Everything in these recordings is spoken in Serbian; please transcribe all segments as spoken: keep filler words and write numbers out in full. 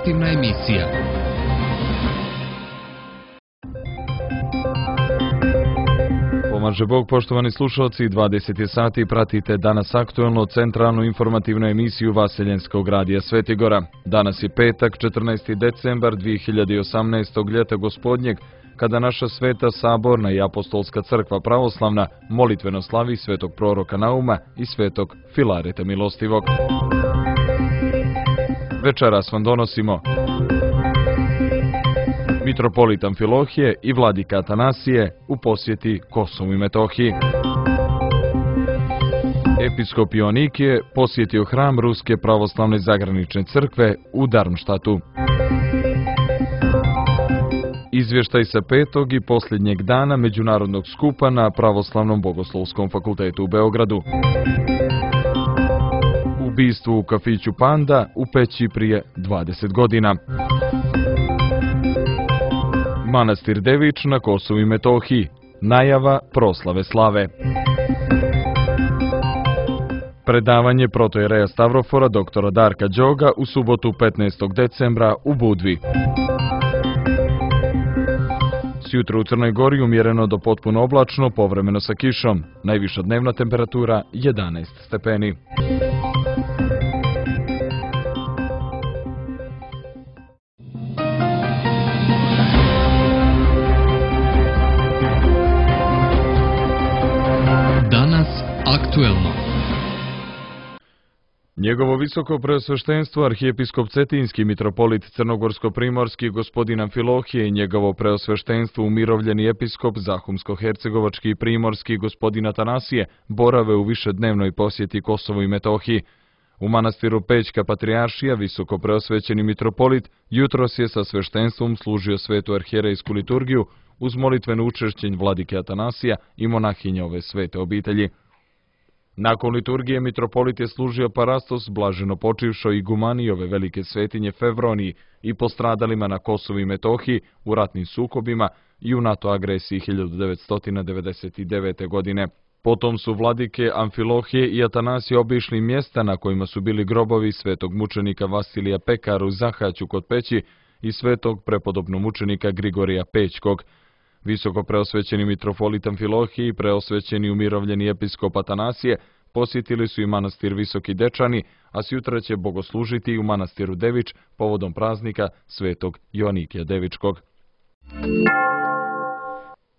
informativna emisija. Pomaže Bog, poštovani slušalci, dvadeset je sati, pratite danas aktuelno centralnu informativnu emisiju Vaseljenskog radija Svetigora. Danas je petak, četrnaesti decembar dvije hiljade osamnaestog. ljeta gospodnjeg, kada naša sveta saborna i apostolska crkva pravoslavna molitveno slavi svetog proroka Nauma i svetog Filareta Milostivog. Večeras vam donosimo mitropolit Amfilohije i vladika Atanasije u posjeti Kosovu i Metohiji. Episkop Joanikije posjetio hram Ruske pravoslavne zagranične crkve u Darmštatu. Izvještaj sa petog i posljednjeg dana međunarodnog skupa na Pravoslavnom bogoslovskom fakultetu u Beogradu. Ubistvo u kafiću Panda u Peći prije dvadeset godina. Manastir Devič na Kosovu i Metohiji. Najava proslave slave. Predavanje protojereja Stavrofora doktora Darka Đoga u subotu petnaestog decembra u Budvi. Sjutra u Crnoj Gori umjereno do potpuno oblačno, povremeno sa kišom. Najviša dnevna temperatura jedanaest stepeni. Danas aktuelno. Njegovo visoko preosveštenstvo arhijepiskop Cetinski mitropolit Crnogorsko-primorski gospodin Amfilohije i njegovo preosveštenstvo umirovljeni episkop Zahumsko-hercegovački i primorski gospodin Atanasije borave u višednevnoj posjeti Kosovu i Metohiji. U manastiru Pećka patrijaršija visoko preosvećeni mitropolit jutros je sa sveštenstvom služio svetu arhijerejsku liturgiju uz molitveno učešćenje vladike Atanasija i monahinja ove svete obitelji. Nakon liturgije mitropolit je služio parastos blaženo počivšoj igumani ove velike svetinje Fevroniji i postradalima na Kosovu i Metohiji u ratnim sukobima i u NATO agresiji hiljadu devetsto devedeset devete. godine. Potom su vladike Amfilohije i Atanasije obišli mjesta na kojima su bili grobovi svetog mučenika Vasilija Pekara u Zahaću kod Peći i svetog prepodobnog mučenika Grigorija Pećkog. Visoko preosvećeni mitropolit Amfilohije i preosvećeni umirovljeni episkop Atanasije posjetili su i manastir Visoki Dečani, a sjutra će bogoslužiti u manastiru Devič povodom praznika svetog Joanikija Devičkog.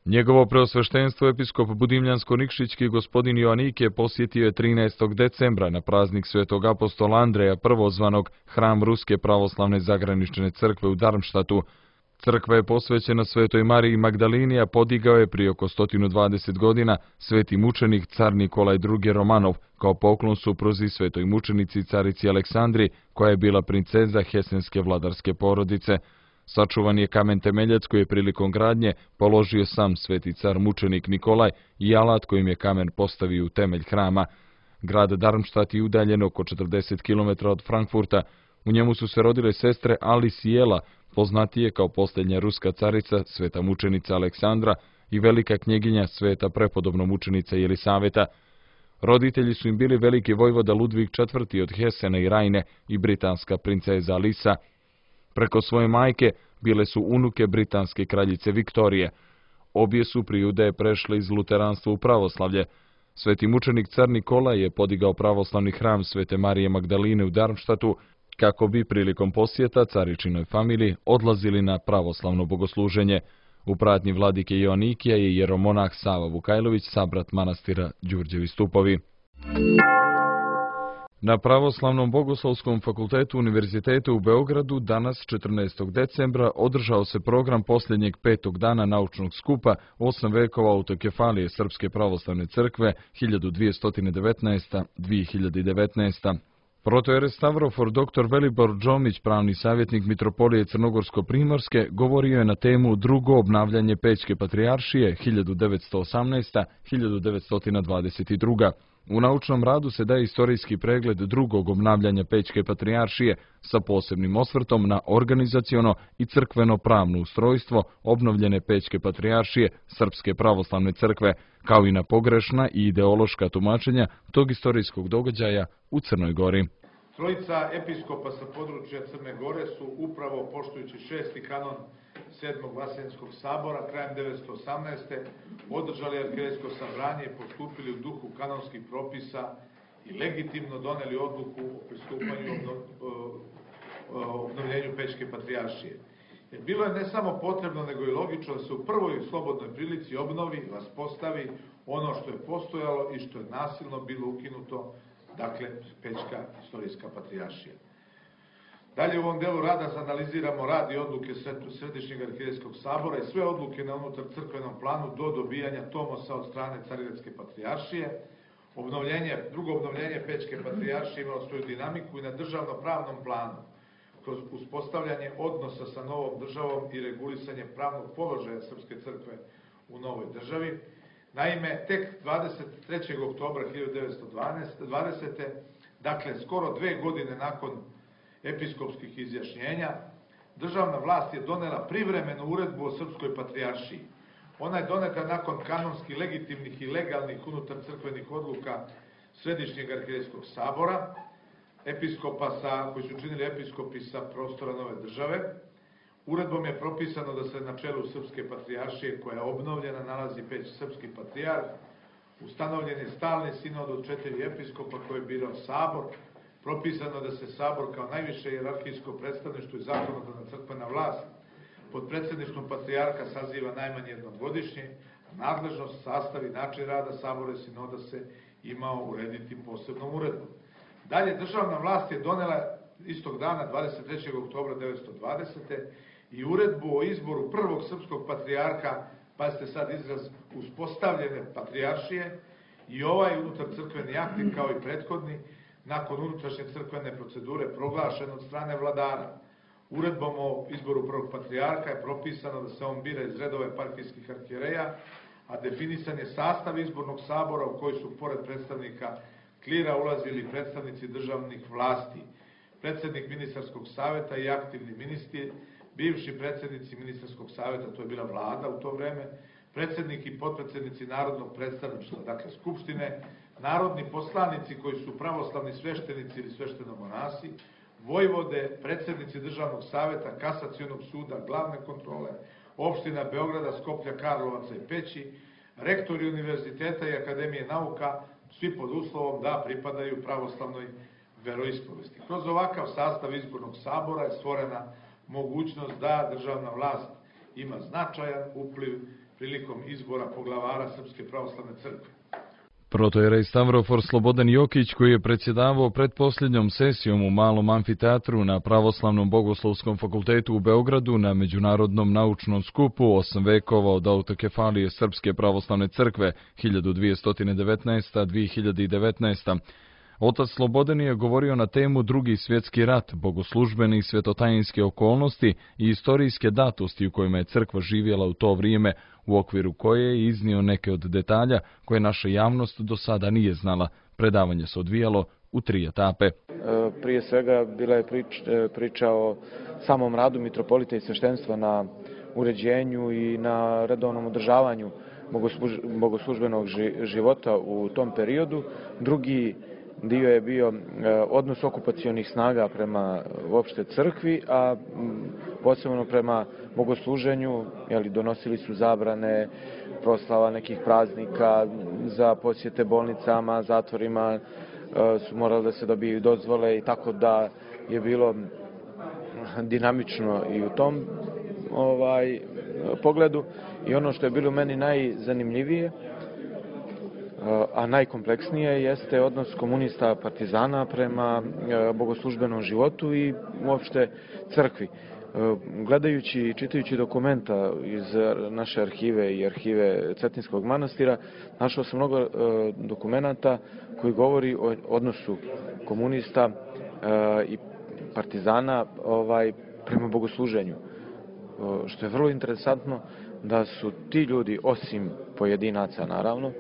Njegovo preosveštenstvo episkop Budimljansko-Nikšićki gospodin Joanikije posjetio je trinaestog decembra na praznik svetog apostola Andreja prvozvanog hram Ruske pravoslavne zagranične crkve u Darmštatu. Crkva je posvećena svetoj Mariji Magdalini, a podigao je prije oko sto dvadeset godina sveti mučenik car Nikolaj drugi. Romanov kao poklon supruzi svetoj mučenici carici Aleksandri, koja je bila princeza hesenske vladarske porodice. Sačuvan je kamen temeljac koji je prilikom gradnje položio sam sveti car mučenik Nikolaj i alat kojim je kamen postavio u temelj hrama. Grad Darmštat je udaljen oko četrdeset kilometara od Frankfurta. U njemu su se rodile sestre Alice i Ela, poznatije kao posljednja ruska carica, sveta mučenica Aleksandra i velika knjeginja sveta prepodobno mučenica Jelisaveta. Roditelji su im bili veliki vojvoda Ludvig četvrti. od Hesena i Rajne i britanska princeza Alisa. Preko svoje majke bile su unuke britanske kraljice Viktorije. Obje su prije udaje prešle iz luteranstva u pravoslavlje. Sveti mučenik car Nikolaj je podigao pravoslavni hram svete Marije Magdaline u Darmštatu, kako bi prilikom posjeta caričinoj familiji odlazili na pravoslavno bogosluženje. U pratnji vladike Joanikija je jeromonah Sava Vukajlović, sabrat manastira Đurđevi Stupovi. Na Pravoslavnom bogoslovskom fakultetu Univerziteta u Beogradu danas četrnaestog decembra održao se program posljednjeg petog dana naučnog skupa osam vekova autokefalije Srpske pravoslavne crkve hiljadu dvjesto devetnaest do dvije hiljade devetnaeste. Protojere Stavrofor doktor Velibor Džomić, pravni savjetnik mitropolije Crnogorsko-primorske, govorio je na temu drugo obnavljanje Pećke patrijaršije hiljadu devetsto osamnaesta do hiljadu devetsto dvadeset druga. U naučnom radu se daje istorijski pregled drugog obnavljanja Pećke patrijaršije sa posebnim osvrtom na organizaciono i crkveno-pravno ustrojstvo obnovljene Pećke patrijaršije Srpske pravoslavne crkve, kao i na pogrešna i ideološka tumačenja tog istorijskog događaja u Crnoj Gori. Trojica episkopa sa područja Crne Gore su upravo poštujući šesti kanon sedmog Vaseljenskog sabora krajem devetsto osamnaeste. održali arhijerejsko sabranje i postupili u duhu kanonskih propisa i legitimno doneli odluku o pristupanju obnovljenju Pećke patrijaršije. Jer bilo je ne samo potrebno, nego i logično da se u prvoj slobodnoj prilici obnovi, vaspostavi ono što je postojalo i što je nasilno bilo ukinuto, dakle, Pećka istorijska patrijaršija. Dalje u ovom delu rada analiziramo rad i odluke Središnjeg arhijerejskog sabora i sve odluke na unutar crkvenom planu do dobijanja tomosa od strane Carigrádske patrijaršije. Obnovljenje, drugo obnovljenje Pećke patrijaršije imalo svoju dinamiku i na državno-pravnom planu, kroz uspostavljanje odnosa sa novom državom i regulisanje pravnog položaja Srpske crkve u novoj državi. Naime, tek dvadeset trećeg oktobra hiljadu devetsto dvadesete. dakle, skoro dve godine nakon episkopskih izjašnjenja, državna vlast je donela privremenu uredbu o Srpskoj patrijaršiji. Ona je doneta nakon kanonski legitimnih i legalnih unutar crkvenih odluka Središnjeg arhijerejskog sabora, episkopa sa, koji su činili episkopi sa prostora nove države. Uredbom je propisano da se na čelu Srpske patrijaršije, koja je obnovljena, nalazi Peć srpski patrijarh. Ustanovljen je stalni sinod od četiri episkopa koje je birao sabor. Propisano da se sabor kao najviše hijerarhijsko predstavništvo i zakonodavna crkvena vlast pod predsjedništvom patrijarha saziva najmanje jednom godišnje, a nadležnost, sastav i način rada sabora i sinoda se imao urediti posebnom uredbom. Dalje, državna vlast je donela istog dana, dvadeset trećeg oktobra devetsto dvadesete. i uredbu o izboru prvog srpskog patrijarha, pazite sad izraz, uspostavljene patrijaršije, i ovaj unutar crkveni akti, kao i prethodni, nakon unutrašnje crkvene procedure proglašen od strane vladara. Uredbom o izboru prvog patrijarha je propisano da se on bira iz redova eparhijskih arhijereja, a definisan je sastav izbornog sabora u koji su, pored predstavnika klira, ulazili predstavnici državnih vlasti, predsednik ministarskog saveta i aktivni ministri, bivši predsednici ministarskog saveta, to je bila vlada u to vreme, predsednik i potpredsednici narodnog predstavništva, dakle skupštine, narodni poslanici koji su pravoslavni sveštenici ili sveštenomonasi, vojvode, predsednici državnog saveta, kasacionog suda, glavne kontrole, opština Beograda, Skoplja, Karlovaca i Peći, rektori univerziteta i akademije nauka, svi pod uslovom da pripadaju pravoslavnoj veroispovesti. Kroz ovakav sastav izbornog sabora je stvorena mogućnost da državna vlast ima značajan upliv prilikom izbora poglavara Srpske pravoslavne crkve. Protojerej Stavrofor Slobodan Jokić, koji je predsjedavao pretposljednjom sesijom u Malom amfiteatru na Pravoslavnom bogoslovskom fakultetu u Beogradu na Međunarodnom naučnom skupu osam vekova od autokefalije Srpske pravoslavne crkve hiljadu dvjesto devetnaest do dve hiljade devetnaeste. Otac Slobodan je govorio na temu Drugi svjetski rat, bogoslužbene i svetotajinske okolnosti i istorijske datosti u kojima je crkva živjela u to vrijeme, u okviru koje je iznio neke od detalja koje naša javnost do sada nije znala. Predavanje se odvijalo u tri etape. Prije svega bila je priča o samom radu mitropolita i sveštenstva na uređenju i na redovnom održavanju bogoslužbenog života u tom periodu. Drugi dio je bio odnos okupacionih snaga prema uopšte crkvi, a posebno prema bogosluženju, jeli, donosili su zabrane proslava nekih praznika, za posjete bolnicama, zatvorima su morali da se dobiju dozvole, i tako da je bilo dinamično i u tom ovaj pogledu. I ono što je bilo meni najzanimljivije, a najkompleksnije, jeste odnos komunista partizana prema bogoslužbenom životu i uopšte crkvi. Gledajući i čitajući dokumenta iz naše arhive i arhive Cetinskog manastira, našao sam mnogo dokumenata koji govori o odnosu komunista i partizana ovaj, prema bogosluženju. Što je vrlo interesantno, da su ti ljudi, osim pojedinaca naravno,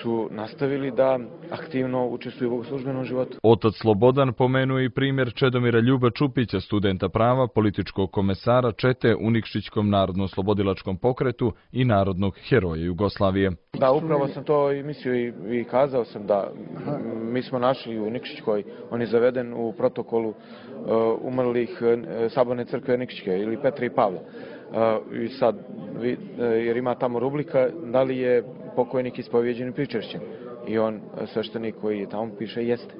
su nastavili da aktivno učestvuju u bogoslužbenom životu. Otac Slobodan pomenuje i primjer Čedomira Ljuba Čupića, studenta prava, političkog komesara Čete u Nikšićkom narodno-oslobodilačkom pokretu i narodnog heroja Jugoslavije. Da, upravo sam to i mislio i, i kazao sam da mi smo našli u Nikšićkoj, on je zaveden u protokolu uh, umrlih uh, Saborne crkve Nikšićke ili Petra i Pavla. Uh, I sad, vi, uh, jer ima tamo rubrika da li je pokojnik ispovjeđen i pričešćen. I on, sveštenik koji je tamo piše, jeste.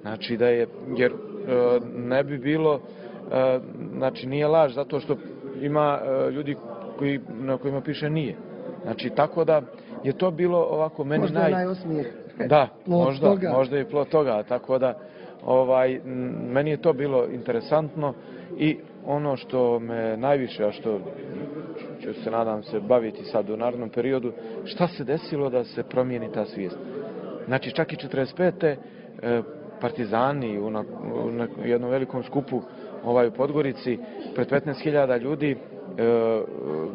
Znači da je, jer uh, ne bi bilo, uh, znači nije laž zato što ima uh, ljudi koji, na kojima piše nije. Znači tako da je to bilo ovako meni možda naj... najosmijeh. Da, možda, toga. možda je plod toga, tako da ovaj, meni je to bilo interesantno i ono što me najviše, a što ću se nadam se baviti sad u narednom periodu, šta se desilo da se promijeni ta svijest. Znači čak i četrdeset pete partizani u, na, u na jednom velikom skupu ovaj, u Podgorici pred petnaest hiljada ljudi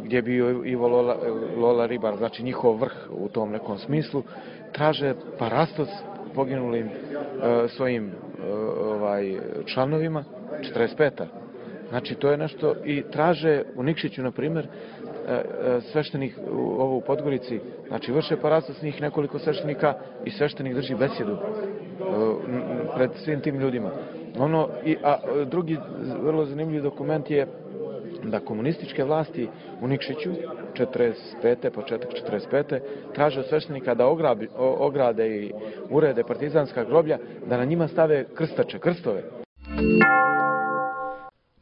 gdje je bio Ivo Lola, Lola Ribar, znači njihov vrh u tom nekom smislu, traže parastos poginulim svojim ovaj, članovima, četrdeset peta. Znači to je nešto i traže u Nikšiću, na primjer, sveštenik u, ovo u Podgorici, znači vrše parastos njih nekoliko sveštenika i sveštenik drži besjedu pred svim tim ljudima. Ono, i, a drugi vrlo zanimljiv dokument je da komunističke vlasti u Nikšiću, četrdeset pete, početak četrdeset pete traže od sveštenika da ograbi, ograde i urede partizanska groblja, da na njima stave krstače, krstove.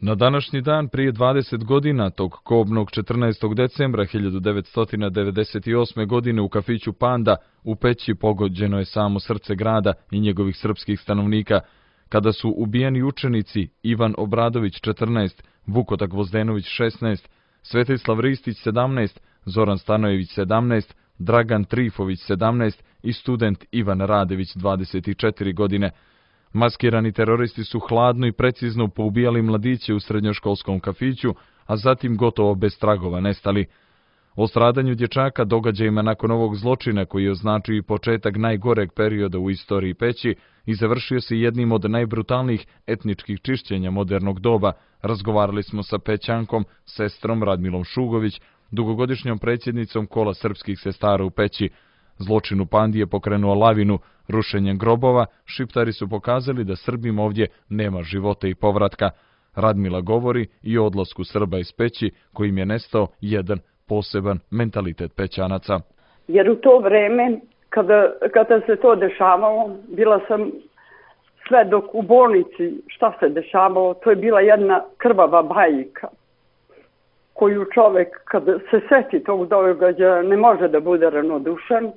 Na današnji dan prije dvadeset godina, tog kobnog četrnaestog decembra hiljadu devetsto devedeset osme. godine u kafiću Panda u Peći pogođeno je samo srce grada i njegovih srpskih stanovnika, kada su ubijeni učenici Ivan Obradović četrnaest, Vukota Gvozdenović šesnaest, Svetislav Ristić sedamnaest, Zoran Stanojević sedamnaest, Dragan Trifović sedamnaest i student Ivan Radević dvadeset četiri godine. Maskirani teroristi su hladno i precizno poubijali mladiće u srednjoškolskom kafiću, a zatim gotovo bez tragova nestali. O stradanju dječaka, događajima nakon ovog zločina koji je označio i početak najgoreg perioda u istoriji Peći i završio se jednim od najbrutalnijih etničkih čišćenja modernog doba, razgovarali smo sa Pećankom, sestrom Radmilom Šugović, dugogodišnjom predsjednicom Kola srpskih sestara u Peći. Zločin u Pandi je pokrenuo lavinu, rušenjem grobova, šiptari su pokazali da Srbima ovdje nema života i povratka. Radmila govori i o odlasku Srba iz Peći, kojim je nestao jedan poseban mentalitet Pećanaca. Jer u to vreme, kada, kada se to dešavalo, bila sam sve dok u bolnici, šta se dešavalo, to je bila jedna krvava bajka, koju čovjek, kada se seti tog događaja, ne može da bude ravnodušan.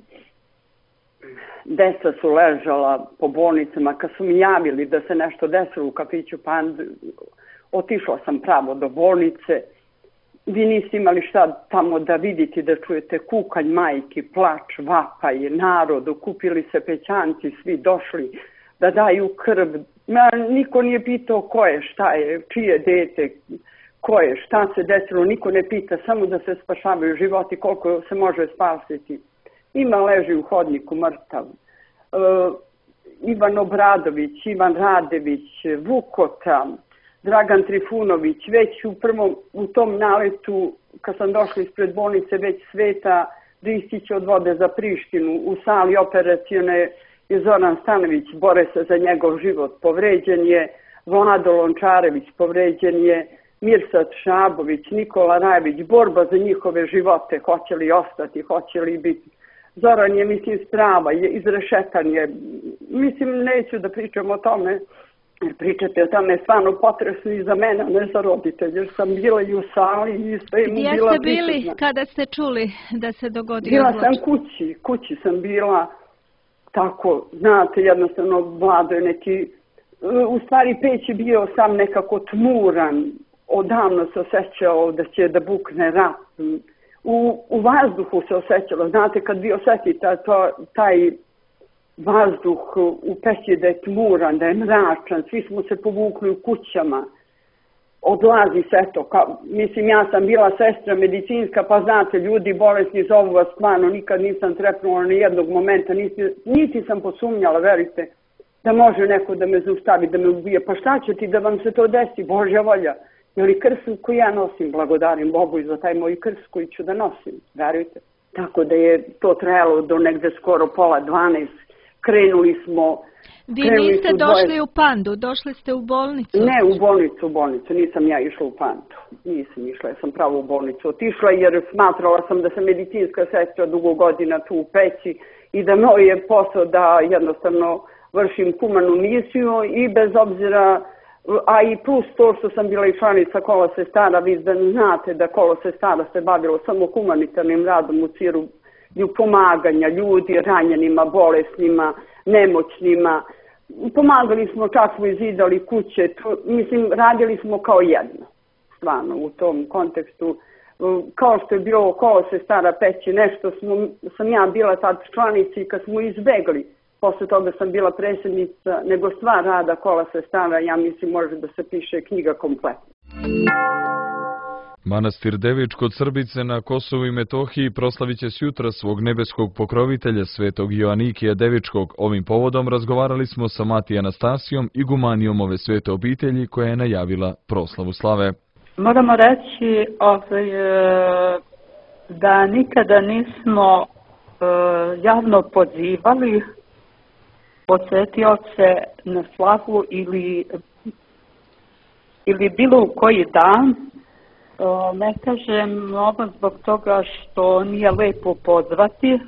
Deca su ležala po bolnicama, kad su mi javili da se nešto desilo u kafiću Pand, otišla sam pravo do bolnice. Vi niste imali šta tamo da vidite, da čujete kukanj majki, plač, vapaj, narod, okupili se Pećanci, svi došli da daju krv. Ma, niko nije pitao ko je, šta je, čije dete, ko je, šta se desilo, niko ne pita, samo da se spašavaju životi, koliko se može spasiti. Ima leži u hodniku mrtav. E, Ivan Obradović, Ivan Radević, Vukota, Dragan Trifunović, već u prvom, u tom naletu, kad sam došla ispred bolnice, već Sveta Ristić odvode za Prištinu, u sali operacione je Zoran Stanojević, bore se za njegov život, povređen je Vlado Lončarević, povređen je Mirsad Šabović, Nikola Rajević, borba za njihove živote, hoće li ostati, hoće li biti. Zoran je, mislim, strava, je izrešetan je, mislim, neću da pričam o tome, pričate o tome je stvarno potresno i za mene, ne za roditelje, jer sam bila i u sali i sve mu bila prisutna. Gdje ste bili kada ste čuli da se dogodio Bila zločin? sam kući, kući sam bila, tako, znate, jednostavno Vlado je neki, u stvari Peć je bio sam nekako tmuran, odavno se osjećao da će da bukne rat. U, u vazduhu se osjećalo, znate, kad vi osjetite to, taj vazduh u Peći da je tmuran, da je mračan, svi smo se povukli u kućama. odlazi sve to. Kao, mislim, ja sam bila sestra medicinska, pa znate, ljudi bolesni zovu vas, stvarno, nikad nisam trepnula ni jednog momenta, niti, niti sam posumnjala, verite, da može neko da me zaustavi, da me ubije. Pa šta će ti da vam se to desi, Božja volja? Ili krst koji ja nosim, blagodarim Bogu i za taj moj krst koji ću da nosim, verujte. Tako da je to trajalo do negde skoro pola dvanaest. Krenuli smo... Vi niste došli u Pandu, došli ste u bolnicu? Ne, u bolnicu, u bolnicu. Nisam ja išla u Pandu. Nisam išla, ja sam pravo u bolnicu otišla jer smatrala sam da sam medicinska sestra dugo godina tu u Peći i da moj je posao da jednostavno vršim humanu misiju i bez obzira, a i plus to što sam bila i članica Kola sestara, vi da znate da Kolo sestara se bavilo samo humanitarnim radom u cilju pomaganja ljudi, ranjenima, bolesnima, nemoćnima. Pomagali smo, čak smo izidali kuće, to, mislim, radili smo kao jedno, stvarno, u tom kontekstu. Kao što je bilo Kolo sestara Peći, nešto smo, sam ja bila tad članica i kad smo izbegli, posle toga sam bila predsjednica, nego stvar rada Kola sestara, ja mislim, može da se piše knjiga kompletno. Manastir Devič kod Srbice na Kosovu i Metohiji proslavit će sutra svog nebeskog pokrovitelja svetog Joanikija Devičkog. Ovim povodom razgovarali smo sa Mati Anastasijom, igumanijom ove svete obitelji koja je najavila proslavu slave. Moramo reći ovaj, da nikada nismo javno pozivali posjetioce na slavu ili, ili bilo u koji dan. Ne kažem ovo zbog toga što nije lepo pozvati,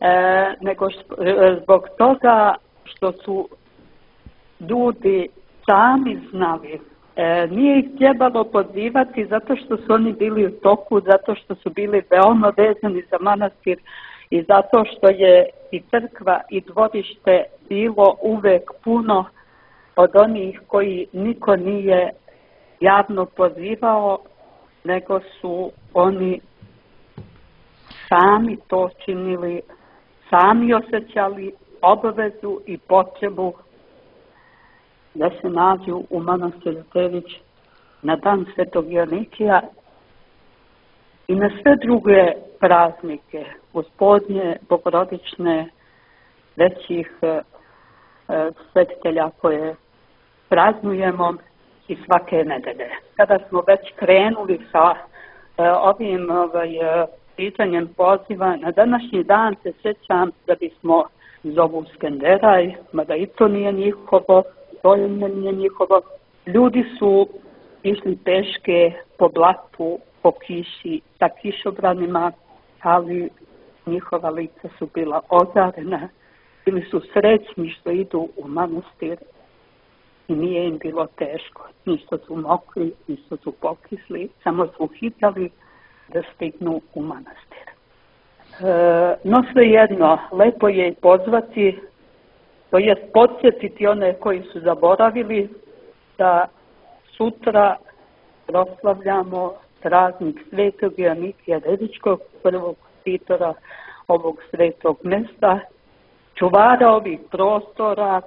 e, nego što, zbog toga što su ljudi sami znali. E, nije ih trebalo pozivati zato što su oni bili u toku, zato što su bili veoma vezani za manastir i zato što je i crkva i dvorište bilo uvek puno od onih koji niko nije javno pozivao, nego su oni sami to činili, sami osjećali obavezu i potrebu da se nađu u manastiru Devič na dan svetog Joanikija i na sve druge praznike, Gospodnje, bogorodične, većih e, svetitelja koje praznujemo i svake nedelje. Kada smo već krenuli sa e, ovim ovaj, pitanjem poziva, na današnji dan se sjećam da bismo zovu Skenderaj, mada i to nije njihovo, to nije njihovo. Ljudi su išli peške po blatu, po kiši, sa kišobranima, ali njihova lica su bila ozarena, bili su srećni što idu u manastir. I nije im bilo teško, ništo su mokli, ništo su pokisli, samo su hitali da stignu u manastir. E, no svejedno, lepo je i pozvati, to jest podsjetiti one koji su zaboravili da sutra proslavljamo praznik svetog Joanikija Devičkog, prvog štitora ovog svetog mesta, čuvara ovih prostora,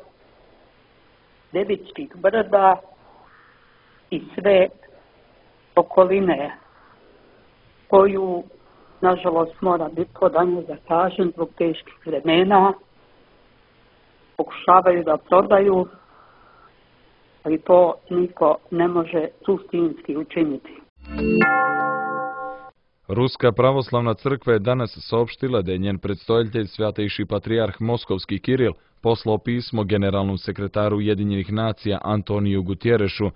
Devičkih brda i sve okoline koju, nažalost, mora biti podanje da kažem zbog teških vremena, pokušavaju da prodaju, ali to niko ne može suštinski učiniti. Ruska pravoslavna crkva je danas saopštila da je njen predstojitelj Svjatejši patrijarh Moskovski Kiril poslao pismo generalnom sekretaru Ujedinjenih nacija Antoniju Gutjerešu,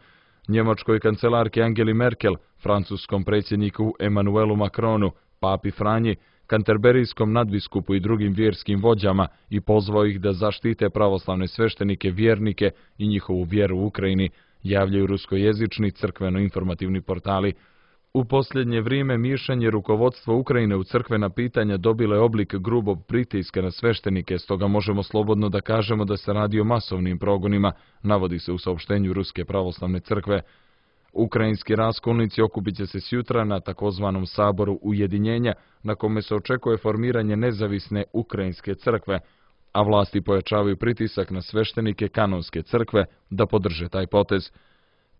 njemačkoj kancelarki Angeli Merkel, francuskom predsjedniku Emanuelu Macronu, papi Franji, kanterberijskom nadbiskupu i drugim vjerskim vođama i pozvao ih da zaštite pravoslavne sveštenike, vjernike i njihovu vjeru u Ukrajini, javljaju ruskojezični crkveno-informativni portali. U posljednje vrijeme mišanje rukovodstva Ukrajine u crkvena pitanja dobilo je oblik grubog pritiska na sveštenike, stoga možemo slobodno da kažemo da se radi o masovnim progonima, navodi se u saopštenju Ruske pravoslavne crkve. Ukrajinski raskolnici okupit će se sjutra na takozvanom saboru ujedinjenja, na kome se očekuje formiranje nezavisne ukrajinske crkve, a vlasti pojačavaju pritisak na sveštenike kanonske crkve da podrže taj potez.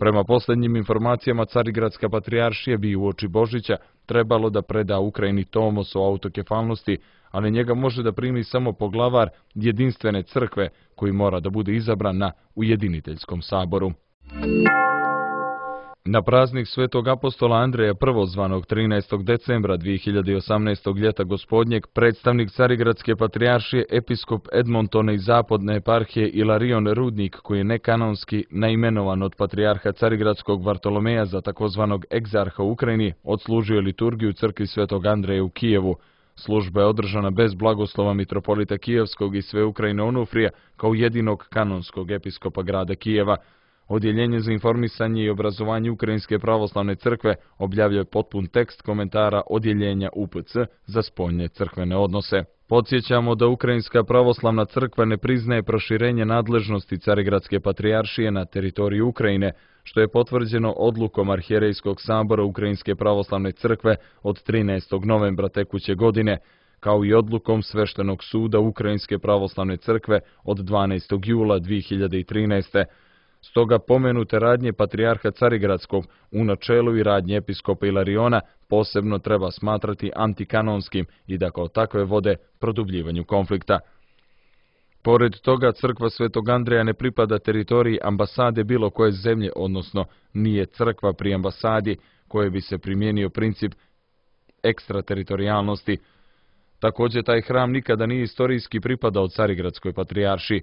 Prema posljednjim informacijama, Carigradska patrijaršija bi uoči Božića trebalo da preda Ukrajini tomos o autokefalnosti, ali njega može da primi samo poglavar jedinstvene crkve koji mora da bude izabran na ujediniteljskom saboru. Na praznik svetog apostola Andreja prvozvanog trinaestog decembra dvije hiljade osamnaestog ljeta gospodnjeg, predstavnik Carigradske patrijaršije episkop Edmontona iz zapadne eparhije Ilarion Rudnik, koji je nekanonski naimenovan od patrijarha Carigradskog Vartolomeja za takozvanog egzarha u Ukrajini, odslužio je liturgiju u crkvi svetog Andreja u Kijevu. Služba je održana bez blagoslova mitropolita Kijevskog i sve Ukrajine Onufrija kao jedinog kanonskog episkopa grada Kijeva. Odjeljenje za informisanje i obrazovanje Ukrajinske pravoslavne crkve objavljuje potpun tekst komentara Odjeljenja U P C za spoljne crkvene odnose. Podsjećamo da Ukrajinska pravoslavna crkva ne priznaje proširenje nadležnosti Carigradske patrijaršije na teritoriju Ukrajine, što je potvrđeno odlukom Arhijerejskog sabora Ukrajinske pravoslavne crkve od trinaestog novembra tekuće godine, kao i odlukom Sveštenog suda Ukrajinske pravoslavne crkve od dvanaestog jula dvije hiljade trinaeste. Stoga pomenute radnje patrijarha Carigradskog u načelu i radnje episkopa Ilariona posebno treba smatrati antikanonskim i da kao takve vode produbljivanju konflikta. Pored toga, crkva Svetog Andreja ne pripada teritoriji ambasade bilo koje zemlje, odnosno nije crkva pri ambasadi koje bi se primijenio princip ekstrateritorijalnosti. Također, taj hram nikada nije istorijski pripadao Carigradskoj patrijaršiji,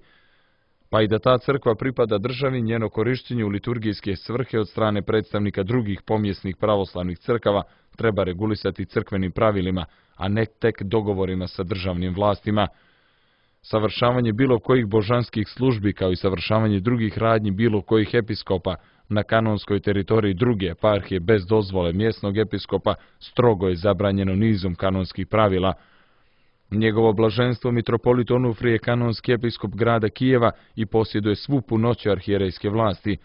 pa i da ta crkva pripada državi, njeno korištenje u liturgijske svrhe od strane predstavnika drugih pomjesnih pravoslavnih crkava treba regulisati crkvenim pravilima, a ne tek dogovorima sa državnim vlastima. Savršavanje bilo kojih božanskih službi kao i savršavanje drugih radnji bilo kojih episkopa na kanonskoj teritoriji druge eparhije bez dozvole mjesnog episkopa strogo je zabranjeno nizom kanonskih pravila. Njegovo blaženstvo mitropolit Onufrije je kanonski episkop grada Kijeva i posjeduje svu punoću arhijerejske vlasti.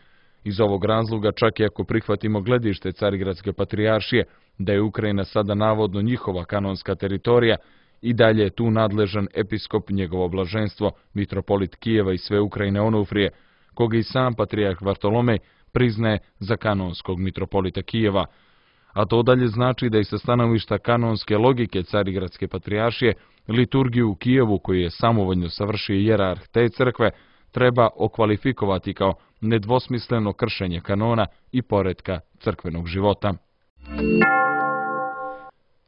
Iz ovog razloga, čak i ako prihvatimo gledište Carigradske patrijaršije da je Ukrajina sada navodno njihova kanonska teritorija, i dalje je tu nadležan episkop njegovo blaženstvo mitropolit Kijeva i sve Ukrajine Onufrije, koga i sam patrijarh Vartolomej priznaje za kanonskog mitropolita Kijeva. A to dalje znači da i sa stanovišta kanonske logike Carigradske patrijaršije liturgiju u Kijevu, koju je samovoljno savršio jerarh te crkve, treba okvalifikovati kao nedvosmisleno kršenje kanona i poretka crkvenog života.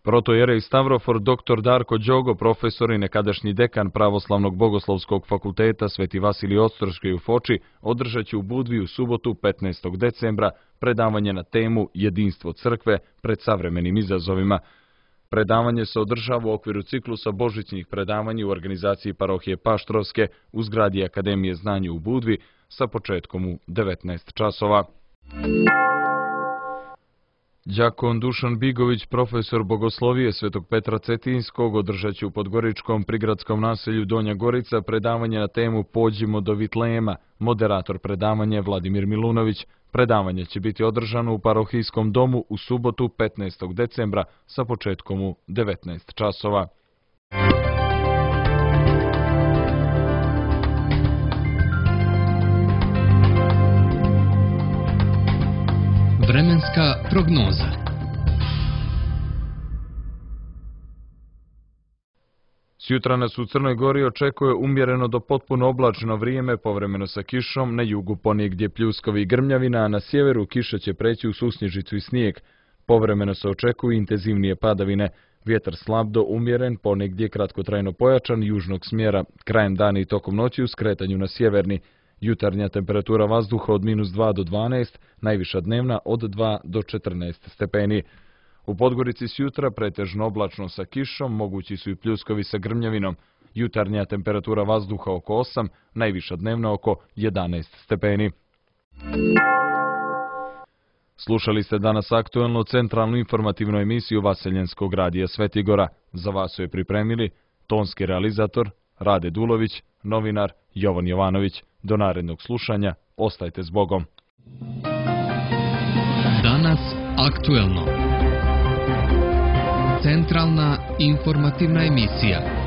Protojerej Stavrofor doktor Darko Đogo, profesor i nekadašnji dekan Pravoslavnog bogoslovskog fakulteta Sveti Vasilij Ostroški u Foči, održat će u Budvi u subotu petnaestog decembra predavanje na temu Jedinstvo crkve pred savremenim izazovima. Predavanje se održava u okviru ciklusa božićnih predavanja u organizaciji parohije Paštrovske u zgradi Akademije znanja u Budvi sa početkom u devetnaest časova. Đakon Dušan Bigović, profesor bogoslovije Svetog Petra Cetinskog, održat će u podgoričkom prigradskom naselju Donja Gorica predavanje na temu Pođimo do Vitlema. Moderator predavanja je Vladimir Milunović. Predavanje će biti održano u parohijskom domu u subotu petnaestog decembra sa početkom u devetnaest časova. Vremenska prognoza. Sjutra nas u Crnoj Gori očekuje umjereno do potpuno oblačno vrijeme, povremeno sa kišom, na jugu ponegdje pljuskovi i grmljavina, a na sjeveru kiša će preći u susnježicu i snijeg. Povremeno se očekuju intenzivnije padavine, vjetar slab do umjeren, ponegdje kratkotrajno pojačan, južnog smjera, krajem dana i tokom noći u skretanju na sjeverni. Jutarnja temperatura vazduha od minus dva do dvanaest, najviša dnevna od dva do četrnaest stepeni. U Podgorici sjutra pretežno oblačno sa kišom, mogući su i pljuskovi sa grmljavinom. Jutarnja temperatura vazduha oko osam, najviša dnevna oko jedanaest stepeni. Slušali ste danas aktuelnu centralnu informativnu emisiju Vaseljenskog radija Svetigora. Za vas su je pripremili tonski realizator Rade Dulović, novinar Jovan Jovanović. Do narednog slušanja, ostajte s Bogom. Danas aktuelno. Centralna informativna emisija.